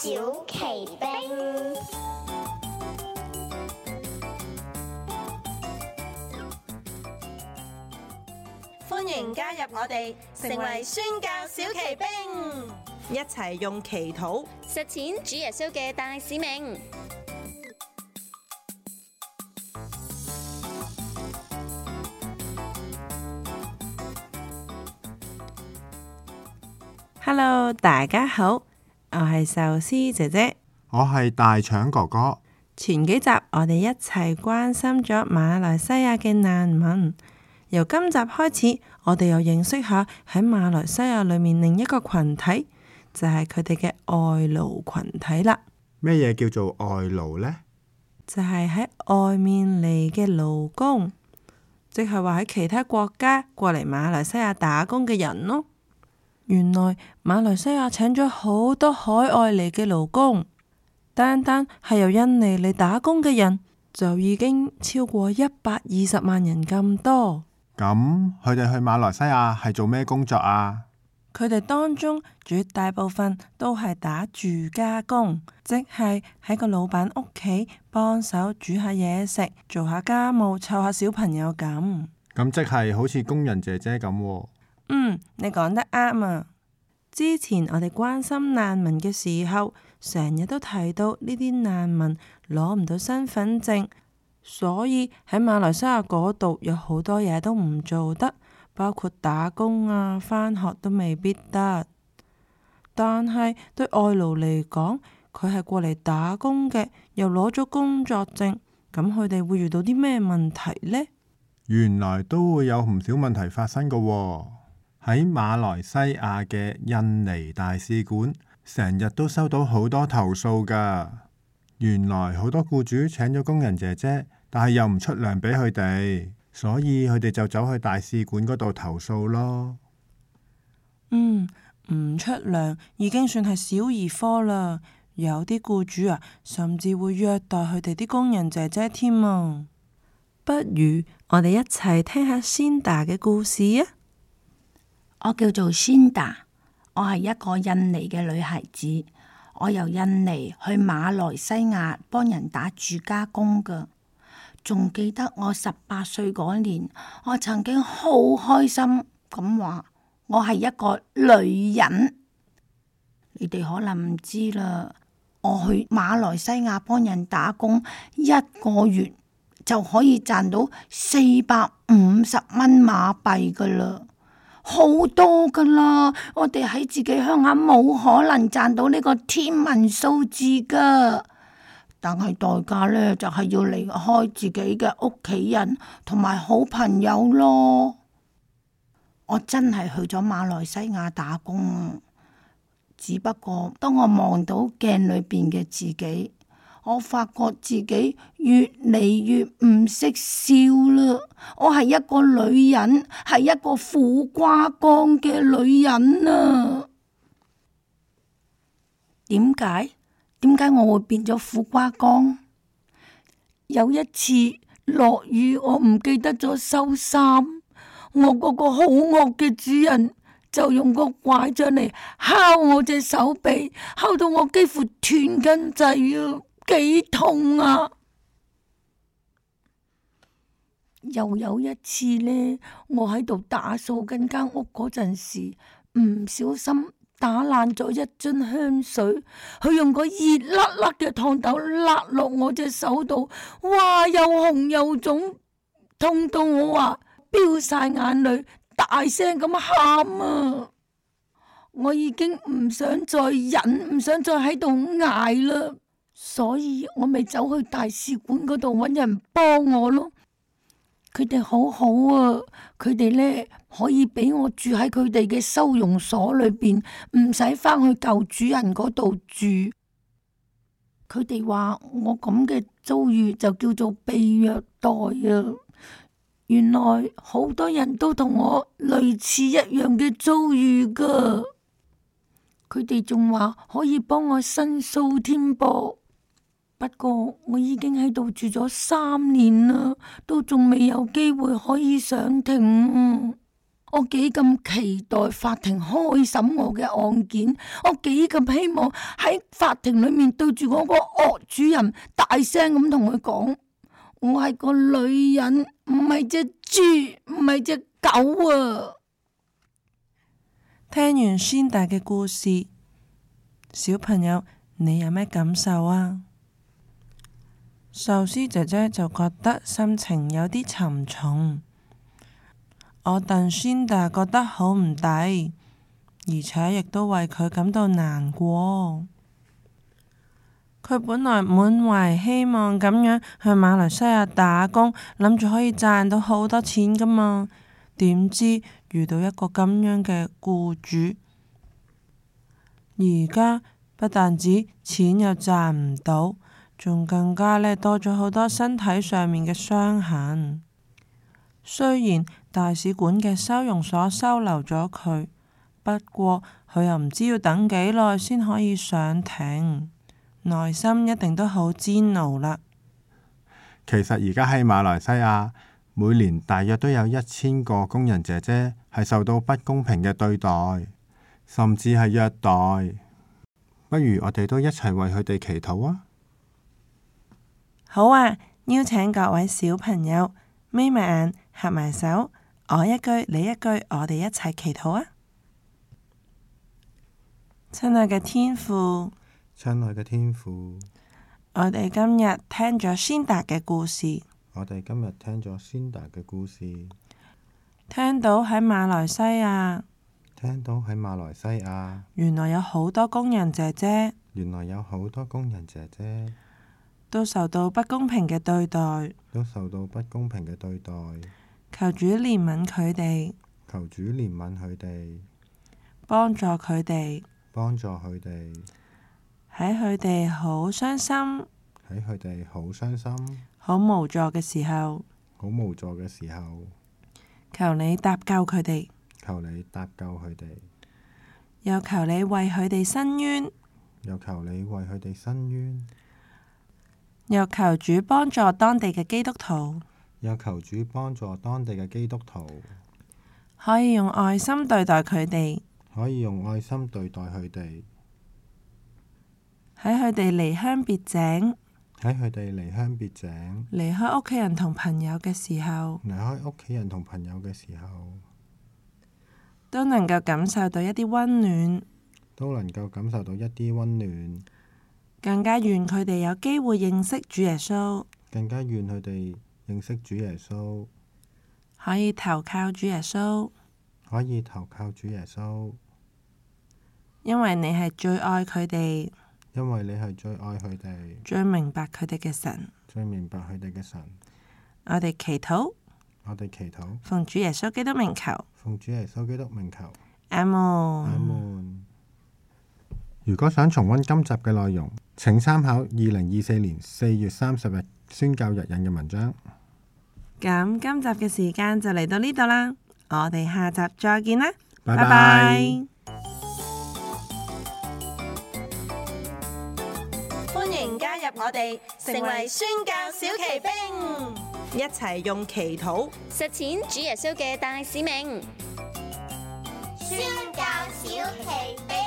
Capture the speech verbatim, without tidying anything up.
小奇兵，歡迎加入我哋，成為宣教小奇兵，一齊用祈禱實踐主耶穌嘅大使命。Hello， 大家好，我係壽司姐姐，我係大腸哥哥。前幾集我哋一齊關心咗馬來西亞嘅難民，由今集開始，我哋又認識下喺馬來西亞裏面另一個群體，就係佢哋嘅外勞群體啦。咩嘢叫做外勞呢？就係喺外面嚟嘅勞工，即係話喺其他國家過嚟馬來西亞打工嘅人咯。原來馬來西亞請咗好多海外嚟嘅勞工，單單係由印尼嚟打工嘅人就已經超過一百二十萬人咁多。咁佢哋去馬來西亞係做咩工作啊？佢哋當中絕大部分都係打住家工，即係喺個老闆屋企幫手煮下嘢食，做下家務，湊下小朋友咁。咁即係好似工人姐姐咁喎。嗯，你講得啱啊！之前我哋關心難民嘅時候，成日都提到呢啲難民攞唔到身份證，所以喺馬來西亞嗰度有好多嘢都唔做得，包括打工啊、返學都未必得。但係對外勞嚟講，佢係過嚟打工嘅，又攞咗工作證，咁佢哋會遇到啲咩問題呢？原來都會有唔少問題發生㗎喎。喺馬來西亞嘅印尼大使館，成日都收到好多投訴㗎。原來好多僱主請咗工人姐姐，但係又唔出糧俾佢哋，所以佢哋就走去大使館嗰度投訴咯。嗯，唔出糧已經算係小兒科啦。有啲僱主啊，甚至會虐待佢哋啲工人姐姐添啊。不如我哋一齊聽下仙達嘅故事啊！我叫做仙達，我係一個印尼嘅女孩子。我由印尼去馬來西亞幫人打住家工噶。仲記得我十八歲嗰年，我曾經好開心咁話我係一個女人。你哋可能唔知啦，我去馬來西亞幫人打工一個月就可以賺到四百五十蚊馬幣噶啦。好多噶啦，我哋喺自己鄉下冇可能賺到呢個天文數字噶，但係代價呢，就係要離開自己嘅屋企人同埋好朋友咯。我真係去咗馬來西亞打工啊，只不過當我望到鏡裏邊嘅自己，我發覺自己越嚟越唔識笑啦！我係一個女人，係一個苦瓜乾嘅女人啊！點解？點解我會變咗苦瓜乾？有一次落雨，我唔記得咗收衫，我嗰個好惡嘅主人就用個拐杖嚟敲我隻手臂，敲到我幾乎斷根滯啊！幾痛啊！又有一次呢，我喺度打掃緊間屋嗰陣時，唔小心打爛咗一樽香水，佢用個熱辣辣嘅燙斗辣落我隻手度，哇！又紅又腫，痛到我話飆晒眼淚，大聲咁喊啊！我已經唔想再忍，唔想再喺度捱啦。所以我咪走去大使館嗰度揾人幫我咯。佢哋好好啊，佢哋呢可以俾我住喺佢哋嘅收容所裏邊，唔使返去舊主人嗰度住。佢哋話我咁嘅遭遇就叫做被虐待啊。原來好多人都同我類似一樣嘅遭遇噶。佢哋仲話可以幫我申訴添噃。不過我已經喺度住咗三年啦，都仲未有機會可以上庭。我幾咁期待法庭開審我嘅案件，我幾咁希望喺法庭裏面對住我個惡主人大聲咁同佢講，我係個女人，唔係隻豬，唔係隻狗啊！聽完仙達嘅故事，小朋友你有咩感受啊？壽司姐姐就覺得心情有啲沉重。我戥仙達覺得好唔抵，而且亦都為佢感到難過。佢本來滿懷希望咁樣去馬來西亞打工，諗住可以賺到好多錢噶嘛，點知遇到一個咁樣嘅僱主，而家不但止錢又賺唔到，仲更加呢多咗好多身體上面嘅傷痕。雖然大使館嘅收容所收留咗佢，不過佢又唔知要等幾耐先可以上庭，內心一定都好煎熬啦。其實而家喺馬來西亞，每年大約都有一千個工人姐姐係受到不公平嘅對待，甚至係虐待。不如我哋都一齊為佢哋祈禱啊！好啊，邀請各位小朋友眯埋眼，合埋手，我一句你一句，我哋一齊祈禱啊！親愛嘅天父，親愛嘅天父，我哋今日聽咗仙達嘅故事，我哋今日聽咗仙達嘅故事，聽到喺馬來西亞，聽到喺馬來西亞，原來有好多工人姐姐，原來有好多工人姐姐都受到不公平嘅對待，都受到不公平嘅對待。求主憐憫佢哋，求主憐憫佢哋，幫助佢哋，幫助佢哋喺佢哋好傷心、喺佢哋好傷心、好無助嘅時候，好無助嘅時候，求你搭救佢哋，求你搭救佢哋，又求你為佢哋伸冤，又求你為佢哋伸冤，又求主幫助當地嘅基督徒，又求主幫助當地嘅基督徒，可以用愛心對待佢哋，可以用愛心對待佢哋，喺佢哋離鄉別井、喺佢哋離鄉別井、離開屋企人同朋友嘅時候，離開屋企人同朋友嘅時候，都能夠感受到一啲溫暖，都能夠感受到一啲溫暖，更加願佢哋有機會認識主耶穌，更加願佢哋認識主耶穌，可以投靠主耶穌，可以投靠主耶穌，因為你係最愛佢哋，因為你係最愛佢哋，最明白佢哋嘅神。最明白佢哋嘅神。我哋祈禱，我哋祈禱，奉主耶穌基督名求，奉主耶穌基督名求，阿門。阿門。如果想重溫今集嘅內容，請參考二零二四年四月三十日宣教日引嘅文章。咁今集嘅時間就嚟到呢度啦，我哋下集再見啦，拜拜拜。拜。歡迎加入我哋，成為宣教小騎兵，一齊用祈禱實踐主耶穌嘅大使命。宣教小奇兵。